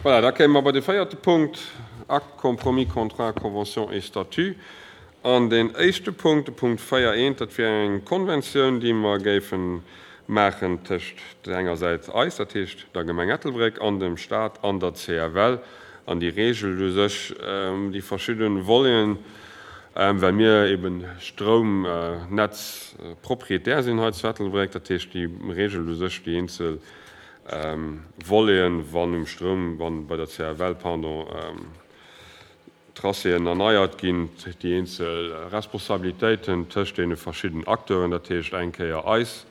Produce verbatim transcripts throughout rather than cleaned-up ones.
Voilà, da kéime mer bei de véierte Punkt, Acte, compromis, contrat, convention et statut. An deen éischte Punkt, de Punkt véier eent, dat wier eng Konventioun, déi mer géife maachen tëscht der enger Säit eis, dat heescht der Gemeng Ettelbréck, an dem Stat an der C F L. An déi reegelt u sech déi verschidde Voleten, well mir eben Stroumnetzpropriétaire sinn hei zu Ettelbréck. Dat heescht, déi reegelt u sech déi eenzel Voleten, wann um Stroum, wann bei der C F L, pardon, Tracéen erneiert ginn, déi eenzel Responsabilitéiten tëscht deene verschiddenen Acteuren, dat heescht eng Kéier eis,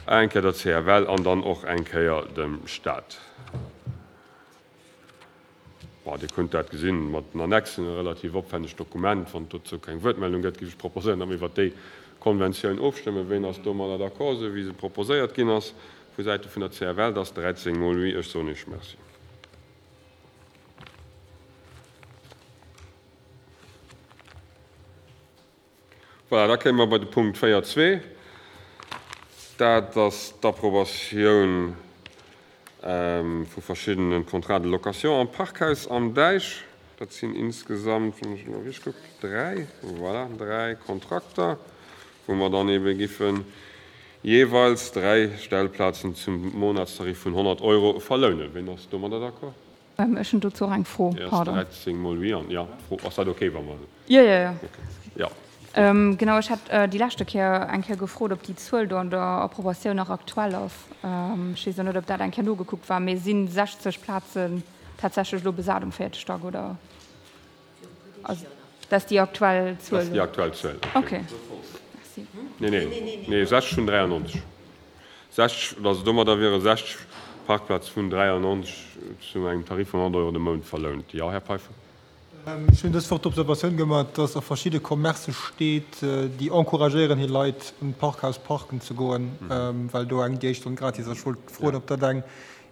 eng Kéier der C F L an dann och eng Kéier dem Staat. Bon, Dir kënnt dat gesinn mat den Annexen, e relativ opwännegt Dokument. Wann et dozou keng Wuertmeldung gëtt, géif ech proposéieren, datt mir iwwert déi Konventioun ofstëmmen. Ween ass domadder d'accord, esou wéi se proposéiert ginn ass vu Säite vun der C F L? Dat ass dräizéng mol oui. Ech soen Iech Merci. Voilà, da kéime mer bei de Punkt véier zwee. Dat ass d'Approbatioun vu verschiddene Contrats de location am Parkhaus am Däich. Dat sinn insgesamt, wann ech elo richteg kucken, dräi, voilà, dräi Kontrakter, wou mer dann ebe giffen jeeweils dräi Stellplazen zum Monatstarif vun honnert Euro verlounen. Ween ass domadder d'accord? Ech hunn dozou och eng Fro, pardon. dräizéng mol huit an, jo, d'Fro, ass dat okay, wa mer. Jo, jo, jo. Okay, jo. Genau, ech hat déi leschte Kéier eng Kéier gefrot, ob déi Zuel do an der Approbatioun nach aktuell ass. Ech weess elo net, ob dat eng Kéier nogekuckt war, mee si sechzeg Plazen tatsächlech elo besat um véierte Stack, oder? Also, dat ass déi aktuell Zuel? Dat ass déi aktuell Zuel. Okay, merci. Nee, nee, nee, sechzeg vun dräiannonzeg. sechzeg, also domadder wiere sechzeg Parkplaze vun dräiannonzeg zu engem Tarif vun honnert Euro de Mount verlount. Jo, Här Peiffer? Ech hunn dës Woch d'Observatioun gemaach, dass a verschidde Commercë steet, déi encouragéieren hir Leit un d'Parkhaus parken ze goen, well do eng déi éischt Stonn gratis ass. Ech wollt froen, ob dat eng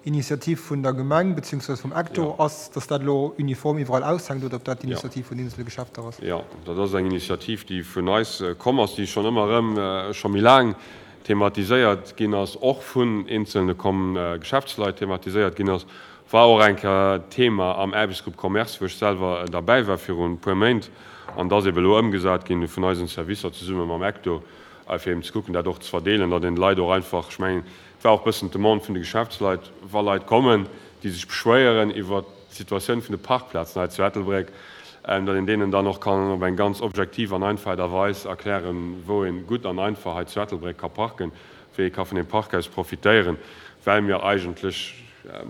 Initiativ vun der Gemeng beziehungsweise vum Acto ass, dass dat elo uniform iwwerall aushänkt, oder ob dat d'Initiativ vun eenzele Geschäfter ass. Jo, dat ass eng Initiativ, déi vun eis komm ass, déi schonn ëmmer erëm, scho méi laang thematiséiert ginn ass, och vun eenzelne Geschäftsleit thematiséiert ginn ass. War och eng Kéier Thema am Aarbechtsgrupp Commerce, wou ech selwer derbäi war viru e puer Méint. An dat ass ebe elo ëmgesat ginn vun eisen Servicer zesumme mam Ecto, fir eben ze kucken, dat och ze verdeelen, datt een de Leit och einfach, ech mengen, et war och e bëssen d'Demande vun de Geschäftsleit, wa Leit kommen, déi sech beschwéieren iwwert d'Situatioun vun de Parkplazen hei zu Ettelbréck, datt een deenen dann och kann op eng ganz objektiv an einfach Aart a Weis erklären, wou ee gutt an einfach hei zu Ettelbréck ka parken, wéi ee ka vun deem Parkhaus profitéieren, well mir eigentlech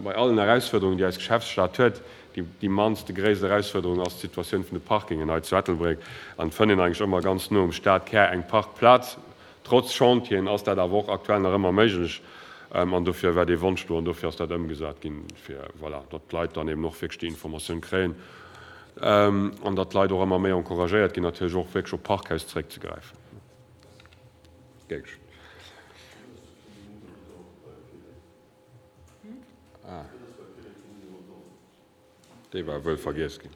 bei allen Erausfuerderungen, déi eis Geschäftsstad huet, déi mannst, déi gréisst Erausfuerderung ass d'Situatioun vun de Parkingen hei zu Ettelbréck. An et fënnt een eigentlech ëmmer ganz no um Stadkär eng Parkplaz. Trotz Chantieren ass dat awer och aktuell nach ëmmer méiglech. An dofir war dee Wonsch do an dofir ass dat ëmgesat ginn, fir, voilà, datt d'Leit dann eben och wierklech déi Informatioun kréien an datt d'Leit och ëmmer méi encouragéiert ginn, natierlech och wierklech op Parkhaus zeréckzegräifen. Gär geschéngt. Ah. Dee war wuel vergiess ginn.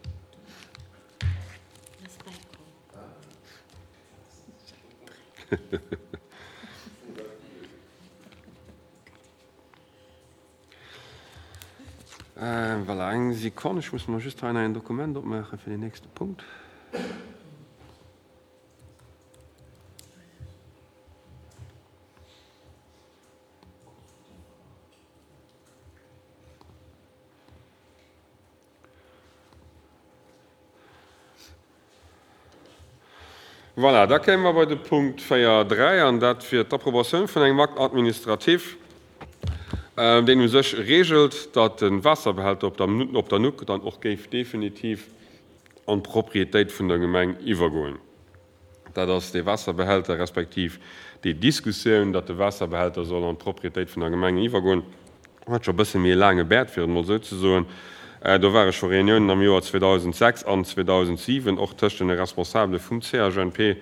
Voilà, eng Sekonn, ech muss mer just hei nach en Dokument opmaache fir den nächste Punkt. Voilà, da kéime mer bei de Punkt véier dräi, an dat wier d'Approbatioun vun engem Acte administratif, deen u sech regelt, datt de Waasserbehälter op der op der Nuck dann och géif definitiv an d'Propriétéit vun der Gemeng iwwergoen. Dat ass dee Waasserbehälter, respektiv déi Diskussioun, datt de Waasserbehälter soll an d'Propriétéit vun der Gemeng iwwergoen, huet scho e bësse méi e laange Bäert, fir et emol esou ze soen. Do ware scho Reuniounen am Joer zweedausendsechs an zweedausendsiewen, och tëscht den Responsabele vum C H N P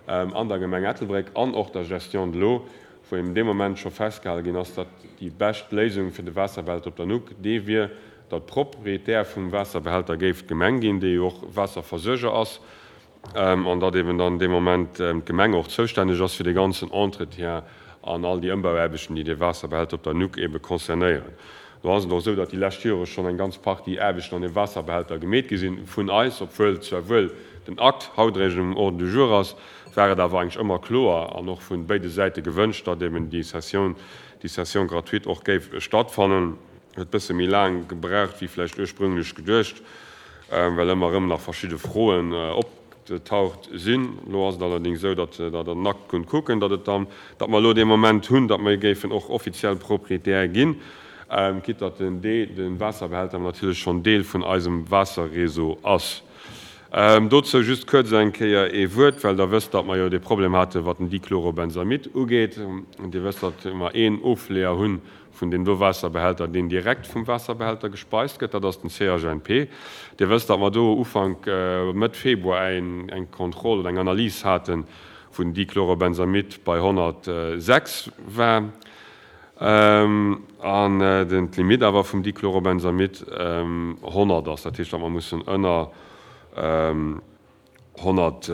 an der Gemeng Ettelbréck an och der Gestion de l'eau, wou eben dee Moment scho festgehale ginn ass, datt déi bescht Léisung fir de Waasserbehälter op der Nuck dee wier, datt Proprietär vum Waasserbehälter géif d'Gemeng ginn, déi jo och Waasserversuerger ass, an datt eben dann dee Moment d'Gemeng och zoustänneg ass fir de ganzen Entretien an all déi Ëmbauaarbechten, déi dee Waasserbehälter op der Nuck ebe concernéieren. Do ass et och esou, datt déi lescht Jore schonn eng ganz Partie Aarbechten an deem Waasserbehälter gemeet gi sinn vun eis, obwuel zwar wuel den Akt haut eréischt um Ordre du jour ass, war et awer eigentlech ëmmer kloer an och vu béide Säite gewënscht, datt eben déi Cession, déi Cession gratuite och géif stattfannen. Huet e bësse méi laang gebraucht wéi vläicht ursprünglech geduecht, well ëmmer erëm nach verschidde Froen opgetaucht sinn. Elo ass et allerdéngs esou, datt Der den Akt kunnt kucken, datt et dann, datt mer elo dee Moment hunn, datt mer géifen och offiziell Proprietär ginn, quitte datt den Dee, de Waasserbehälter natierlech schonn Deel vun eisem Waasserreseau ass. Dozou just kuerz eng Kéier ee Wuert, well Der wësst, datt mer jo dee Problem hate wat den Dichlorobenzamid ugeet. Dir wësst, datt mer een Ofleeër hunn vun deem do Waasserbehälter, deen direkt vum Waasserbehälter gespeist gëtt, dat ass den C H N P. Dir wësst, datt mer do Ufank, Mëtt Februar eng Kontroll oder eng Analys haten, wou den Dichlorobenzamid bei honnertsechs war an den d'Limit awer vum Dichlorobenzamid honnert ass. Dat heescht, datt mer mussen ënner honnert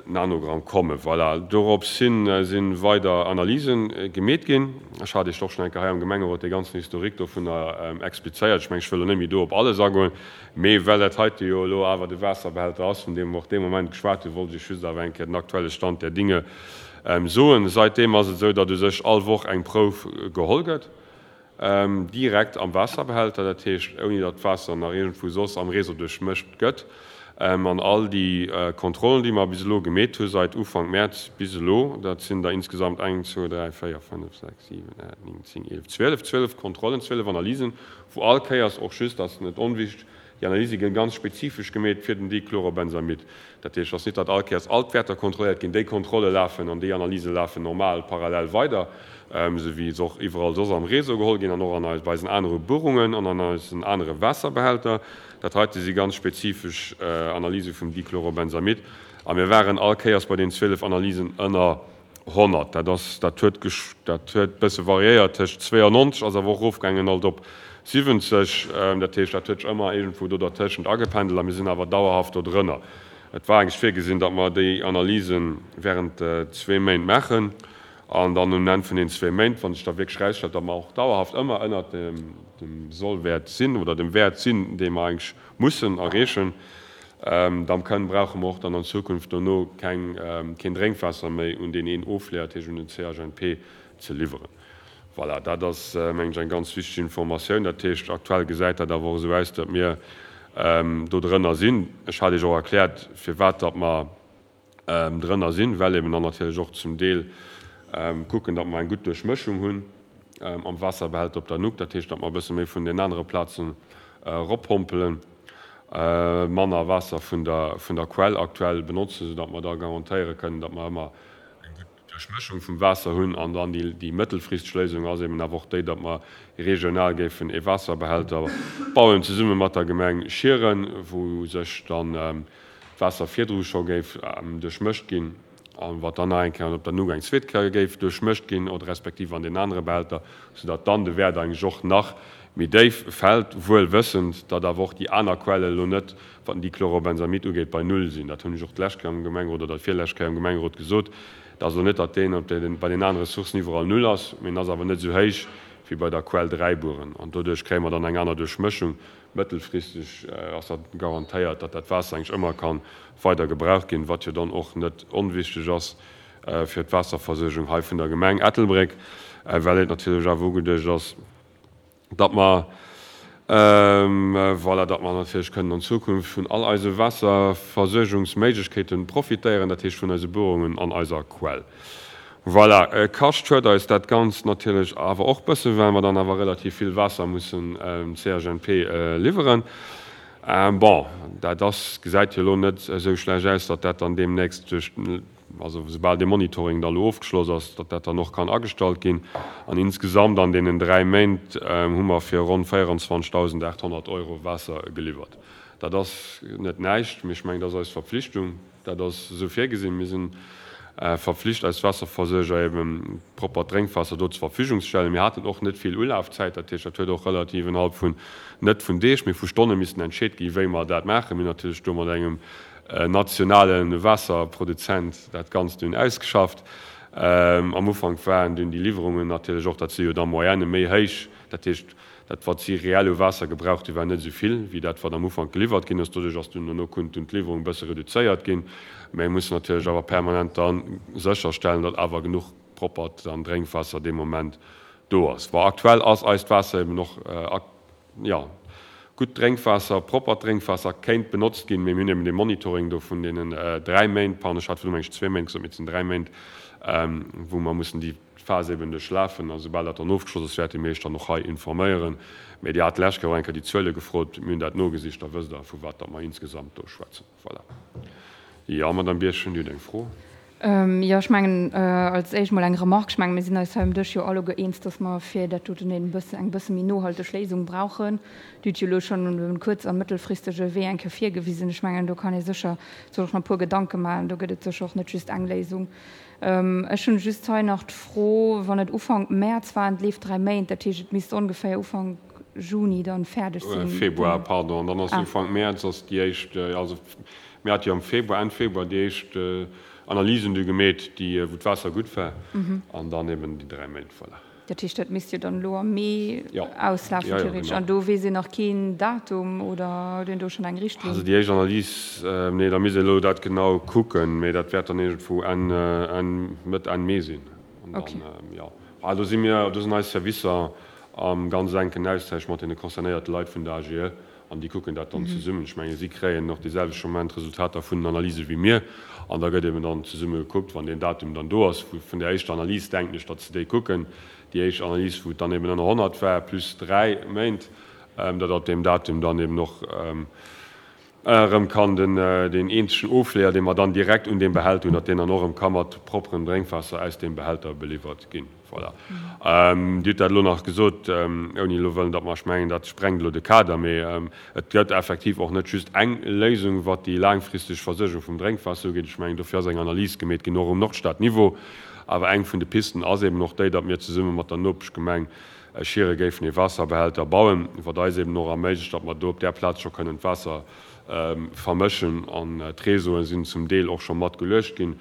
Nanogramm kommen. Voilà. Dorops hin si weider Analyse gemeet ginn. Ech hat Iech och schonn eng Kéier hei am Gemengerot dee ganzen Historique dovunner explizéiert. Ech mengen, ech wëll elo net méi do op alles agoen, mee well dat heite jo elo awer de Waasserbehälter ass, vun deem mer och dee Moment geschwat hunn, wollt ech just awer eng Kéier den aktuelle Stand der Dinge soen. Saitdeem ass et esou, datt u sech all Woch eng Prouf geholl gëtt, direkt am Waasserbehälter, dat heescht ouni datt d'Waasser nach iergendwou soss am Réseau duerchmëscht gëtt. An all déi Kontrollen, déi mer bis elo gemeet hu seit Ufank Mäerz bis elo, dat sinn der insgesamt eng, zwou, dräi, véier, fënnef, sechs, siwen, aacht, néng, zéng, eelef, zwielef, zwielef Kontrollen, zwielef Analysen, wou all Kéiers och just, dat ass net onwichtig, déi Analyse gi ganz spezifesch gemeet fir den Dichlorobenzamid. Dat heescht, ass net, datt all Kéiers all d'Wäerter kontrolléiert ginn. Déi Kontrolle lafen an déi Analyse lafen normal parallel weider, esou wéi se och iwwerall soss am Réseau geholl ginn an och an eis, bei eisen anere Buerungen an an eisen anere Waasserbehälter. Dat heite si ganz spezifesch Analyse vum Dichlorobenzamid a mir waren all Kéiers bei den zwielef Analysen ënner honnert. Dat ass, dat huet, dat huet bësse variéiert tëscht zweeannonzeg, ass awer och erofgaangen alt op siwwenzeg. Dat heescht, dat huet sech ëmmer iergendwou do dertëschent agependelt a mir sinn awer dauerhaft do drënner. Et war eigentlech virgesinn, datt mer déi Analyse während zwee Méint maachen an dann um Enn vun den zwee Méint, wann sech da wierklech erausstellt, datt mer och dauerhaft ëmmer ënnert dem Sollwäert sinn oder dem Wäert sinn, dee mer eigentlech mussen erreechen, da kënnen, brauche mer och dann an Zukunft dono keng, keen Drénkwaasser méi un deen een Ofleeër, dat heescht un den C H N P, ze liwweren. Voilà, dat ass, mengen ech, eng ganz wichteg Informatioun. Dat heescht, aktuell gesäit dat awer och esou aus, datt mir do drënner sinn. Ech hat Iech och erkläert, firwat datt mer drënner sinn, well eben dann natierlech och zum Deel kucken, datt mer eng gutt Duerchmëschung hunn am Waasserbehälter op der Nuck. Dat heescht, datt mer e bësse méi vun den anere Plazen eroppompelen, manner Waasser vun der vun der Quell aktuell benotzen, soudatt mer da garantéiere kënnen, datt mer ëmmer eng gutt Duerchmëschung vum Waasser hunn. An dann déi déi mëttelfristeg Léisung ass eben awer och déi, datt mer regional géifen ee Waasserbehälter bauen, zesumme mat der Gemeng Schieren, wou sech dann d'Waasser virdru scho géif duerchmëscht ginn an wat dann nach eng Kéier op der Nuck eng zweet Kéier géif duerchmëscht ginn oder respektiv an den anere Behälter, soudatt dann de Wäert eigentlech och nach méi déif fält, wuel wëssend, datt awer och déi aner Quelle elo net, wat den Dichlorobenzamid ugeet, bei Null sinn. Dat hunn ech och d'lescht Kéier am Gemengerot oder d'virlescht Kéier am Gemengerot gesot. Et ass elo net, datt deen op den, bei den anere Sourcen iwwerall Null ass, mee en ass awer net esou héich wéi bei der Quell Dräibueren. An doduerch kréie mer dann eng aner Duerchmëschung. Mëttelfristeg ass dat garantéiert, datt dat Waasser eigentlech ëmmer ka weider gebraucht ginn, wat jo dann och net onwichtig ass fir d'Waasserversuergung hei vun der Gemeng Ettelbréck, well et natierlech awer ugeduecht ass, datt mer, voilà, datt mer natierlech kënnen an Zukunft vun all eise Waasserversuergungsméiglechkeete profitéieren, dat heescht vun eise Buerungen an eiser Quell. Voilà, kascht huet eis dat Ganzt natierlech awer och bëssen, well mer dann awer relativ vill Waasser mussen C H N P liwweren. Bon, dat ass, gesäit jo elo net esou schlecht aus, datt dat dann deemnächst duerch, also soubal dee Monitoring da elo ofgeschloss ass, datt dat dann och kann agestallt ginn. An insgesamt an deenen dräi Méint hu mer fir ronn véierenzwanzegdausendaathonnert Euro Waasser geliwwert. Dat ass net näischt, mee ech mengen, dat ass eis Verpflichtung, dat ass esou virgesinn. Mir sinn verpflicht, eis Waasserversuerger eben proppert Drénkwaasser do zur Verfügung ze stellen. Mir haten och net vill Ulafzäit, dat heescht, dat huet och relativ innerhalb vun, net vun Deeg, mee vu Stonne missen entscheet ginn, wéi mer dat maachen. Mir hunn natierlech do mat engem nationale Waasserproduzent dat Ganzt dunn ausgeschafft. Am Ufank waren dunn déi Liwwerungen natierlech och, dat si jo da Moyenne méi héich, dat heescht, dat wat si reell u Waasser gebraucht hu war net esou vill wéi dat wat am Ufank geliwwert ginn ass. Doduerch ass dunn dono konnt dunn d'Liwwerung e bësse reduzéiert ginn. Mä mir mussen natierlech awer permanent da sécherstellen, datt awer genuch proppert dann Drénkwaasser dee Moment do ass. Bon, aktuell ass eist Waasser eben och, jo, gutt Drénkwaasser, proppert Drénkwaasser kéint benotzt ginn, mee mir hunn eben dee Monitoring do vun deenen dräi Méint, pardon, ech hat virdu meng ech zwee Méint gesot, mee et sinn dräi Méint, wou mer mussen déi Phas eben duerchlafen. A soubal dat dann ofgeschloss ass, wäerte mir Iech dann och hei informéieren. Mee Dir hat d'lescht Kéier och eng Kéier déi Zuele gefrot, mir hunn dat nogesicht, da wësst Der, vu wat datt mer insgesamt do schwätzen. Voilà. Jo, Madamm Birchen, Dir hutt eng Fro. Jo, ech mengen, als éischt mol eng Remarque. Ech mengen, mir sinn eis hei um Dësch jo alleguer eens, dass mer fir dat doten e bëssen, eng bësse méi nohalteg Léisung brauchen. Dir hutt jo elo schonn e kuerz a mëttelfristege Wee eng Kéier virgewisen. Ech mengen, do kann ee sécher sech och nach e puer Gedanke maachen. Do gëtt et sécher och net just eng Léisung. Ech hunn just hei nach d'Fro, wann et Ufank Mäerz war an et leeft dräi Méint, dat heescht, et misst ongeféier Ufank Juni dann fäerdeg sinn. Februar, pardon. An dann ass Ufank Mäerz ass déi éischt, also mir hate jo am Februar, Enn Februar déi éischt Analysen du gemeet, déi, wou d'Waasser gutt war, an dann eben déi dräi Méint, voilà. Dat heescht, dat misst jo dann elo am Mee auslafen, theoretesch. An do weess een nach keen Datum oder huet een do schonn eng Richtlinn? Also déi éischt Analys, nee, da misst een elo dat genau kucken, mee dat wäert dann iergendwou Enn, Enn, Mëtt, Enn Mee sinn. An dann, jo, ah, do si mir, do sinn eis Servicer am ganz enken Austausch mat deene concernéierte Leit vun der AGE. An déi kucken dat dann zesummen. Ech mengen, si kréien och dee selwechte Moment d'Resultater vun den Analyse wéi mir. An da gëtt eben dann zesumme gekuckt, wann deen Datum dann do ass, wou vun där éischter Analys, denken ech, datt se déi kucken, déi éischt Analys, wou et dann eben ënner honnert war, plus dräi Méint, datt ab deem Datum dann eben och erëm kann den, deen eenzegen Ofleeër, dee mer dann direkt un deem Behälter hunn, datt deen dann och erëm ka mat propperem Drénkwaasser aus deem Behälter beliwwert ginn. Voilà. Dir hutt dat elo nach gesot, ouni elo wëllen, datt mer, ech mengen, dat sprengt elo de Kader, mee et gëtt effektiv och net just eng Léisung, wat déi laangfristeg Versuergung vum Drénkwaasser ugeet. Ech mengen, dofir ass eng Analys gemeet ginn, och um Nordstad-Niveau. Awer eng vun de Pisten ass eben och déi, datt mir zesumme mat der Nopeschgemeng Schiere géifen ee Waasserbehälter bauen, wat eis eben och erméiglecht, datt mer do op där Plaz scho kënnen d'Waasser vermëschen. An d'Réseaue sinn zum Deel och scho mat geluecht ginn,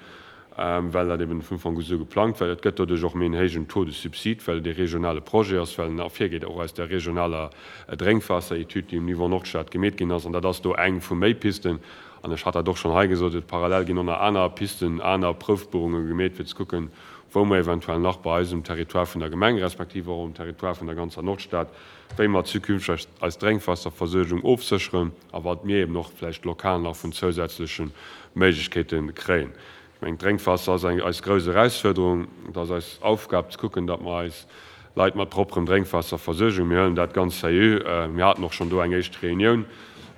well dat eben vun Ufank u sou geplangt war. Et gëtt doduerch och méi en héijen Taux de subside, well et ee regionale Projet ass, well en ervirgeet och aus der regionaler Drénkwaasseretüd, déi um Niveau Nordstad gemeet ginn ass. An dat ass do eng vu méi Pisten. An ech hat dat och schonn hei gesot, et parallel ginn och nach aner Pisten, aner Proufbuerunge gemeet, fir ze kucken, wou mer eventuell nach bei eis um Territoire vun der Gemeng respektiv och um Territoire vun der ganzer Nordstad, wéi mer zukünfteg eis Drénkwaasserversuergung ofsécheren a wat mir eben och vläicht lokal nach vun zousätzleche Méiglechkeete kréien. Ech mengen, d'Drénkwaasser ass eng eis grouss Erausfuerderung. Et ass eis Aufgab ze kucken, datt mer eis Leit mat propperem Drénkwaasser versuergen. Mir huelen dat ganz sérieux. Mir haten och schonn do eng éischt Reunioun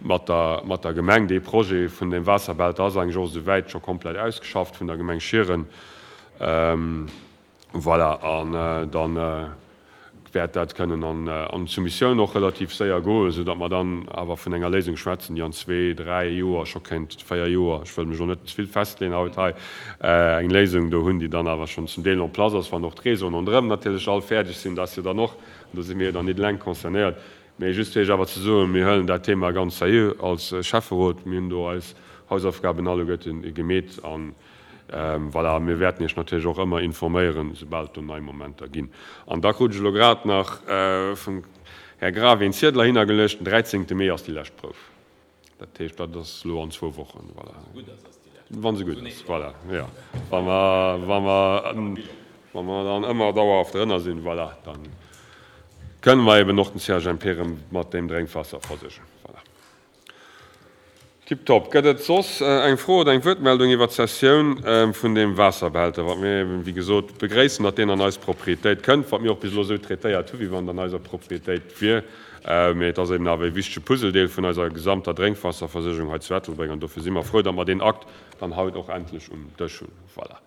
mat der, mat der Gemeng. Dee Projet vun deem Waasserbehälter ass eigentlech och esouwäit scho komplett ausgeschafft vun der Gemeng Schieren. Voilà, an da wäert dat kënnen an d'Soumissioun och relativ séier goen, soudatt mer dann awer vun enger Léisung schwätzen, déi an zwee, dräi Joer scho kéint, véier Joer, ech wëll mech elo net ze vill festleeën haut hei, eng Léisung do hunn, déi dann awer schonn zum Deel en place ass, wann och d'Réseauen ronderëm natierlech all fäerdeg sinn. Dat ass jo dann och, an do si mir jo dann net eleng concernéiert. Mee just fir Iech awer ze soen, mir huelen dat Thema ganz sérieux als Schäfferot. Mir hunn do eis Hausaufgaben alleguerte gemeet an voilà, mir wäerten Iech natierlech och ëmmer informéieren, soubal et do nei Momenter ginn. An da krut ech elo grad nach vum Här Grawe een Ziedel heihinnergeluecht, den dräizéngte Mee ass déi lescht Prouf. Dat heescht, dat ass elo an zwou Wochen, voilà. Wa se gutt ass, voilà, jo. Wa mer, wa mer, wa mer dann ëmmer dauerhaft drënner sinn, voilà, da kënne mer eben och den C H M P erëm mat deem Drénkwaasser versuergen, voilà. Tiptop. Gëtt et soss eng Fro oder eng Wuertmeldung iwwert d'Cessioun vun deem Waasserbehälter, wat mir eben, wéi gesot, begréissen, datt deen an eis Propriétéit kënnt, wat mir och bis elo esou traitéiert hu wéi wann et an eiser Propriétéit wier. Mee et ass eben awer e wichtege Puzzledeel vun eiser gesamter Drénkwaasserversuergung hei zu Ettelbréck an dofir si mer frou, datt mer deen Akt dann haut och endlech um Dësch hunn. Voilà.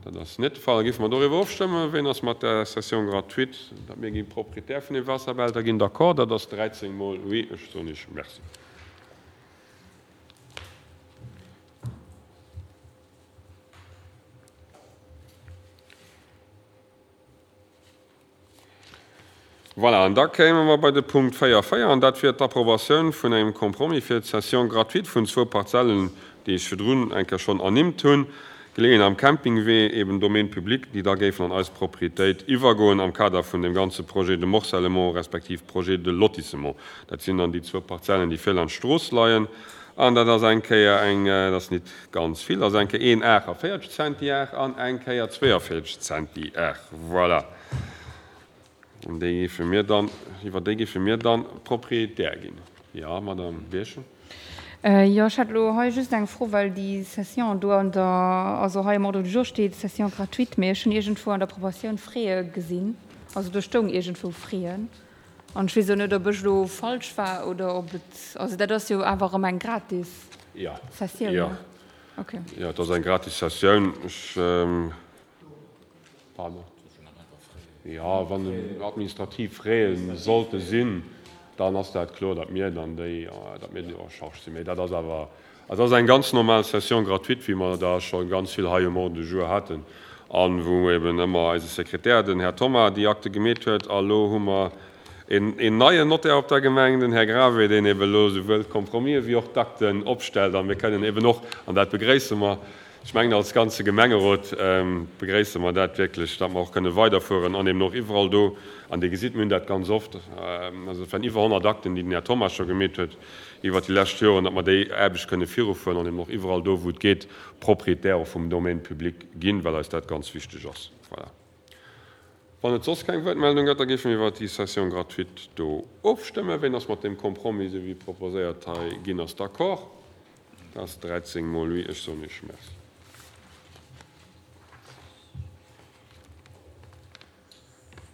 Dat ass net de Fall. Da géife mer doriwwer ofstëmmen. Ween ass mat der Cession gratuite, datt mir gi Proprietär vun deem Waasserbehälter ginn, d'accord? Dat ass dräizéng mol oui. Ech soen Iech Merci. Voilà, an da kéime mer bei de Punkt véier véier, an dat wier d'Approbatioun vun engem Compromis fir d'Cession gratuite vun zwou Parzellen, déi ech virdrun eng Kéier schonn ernimmt hunn. Geleeën am Campingwee, eben Domaine public, déi da géifen an eis Proprietéit iwwergoen am Kader vun dem ganze Projet de morcellement respektiv Projet de lotissement. Dat sinn dann déi zwou Parzellen, déi vir laanscht d'Strooss leien. An dat ass eng Kéier eng, dat ass nit ganz vill, dat ass eng Kéier een aachtavéierzeg Zentiar an eng Kéier zweeënvéierzeg Zentiar. Voilà. An déi géife mir dann, iwwer déi géife mir dann Propriétaire ginn. Jo, Madame Birchen. Jo, ech hätt elo hei just eng Fro, well déi Cession do an der, also hei am Ordre du jour steet Cession gratuite, mee ech hunn iergendwou an der Approbatioun Frais gesinn, also do stoung iergendwou Frais. An ech weess och net, ob ech elo falsch war oder ob et, also dat ass jo awer erëm eng gratis Sessioun, ne? Okay. Jo, et ass eng gratis Sessioun. Ech, pardon, jo, wann administrativ Frais sollte sinn, dann ass dat kloer, datt mir dann déi, datt mir déi en charge sinn. Mee dat ass awer, et ass eng ganz normal Session gratuite, wéi mer der scho ganz vill hei um Ordre du jour haten an wou eben ëmmer eise Sekretär, den Här Thoma, déi Akte gemeet huet. A lo hu mer een neien Notaire op der Gemeng, den Här Grave, deen eben elo souwuel d'Compromisë wéi och d'Akten opstellt. A mir kënnen eben och, an dat begréisse mer, ech mengen als ganze Gemengerot begréisse mer dat wierklech, datt mer och kënne weiderfueren an eben och iwwerall do, an Dir gesitt, mir hunn dat ganz oft, also et waren iwwer honnert Akten, déi den Här Thoma scho gemeet huet iwwert déi lescht Joren, datt mer déi Aarbecht kënne virufueren an eben och iwwerall do, wou et geet, Propriétaire och vum Domaine public ginn, well eis dat ganz wichteg ass. Voilà. Wann et soss keng Wuertmeldung gëtt, da géife mir iwwert déi Cession gratuite do ofstëmmen. Ween ass mat deem Compromis, esou wéi proposéiert hei ginn ass, d'accord? Dat ass dräizéng mol oui. Ech soen Iech Merci.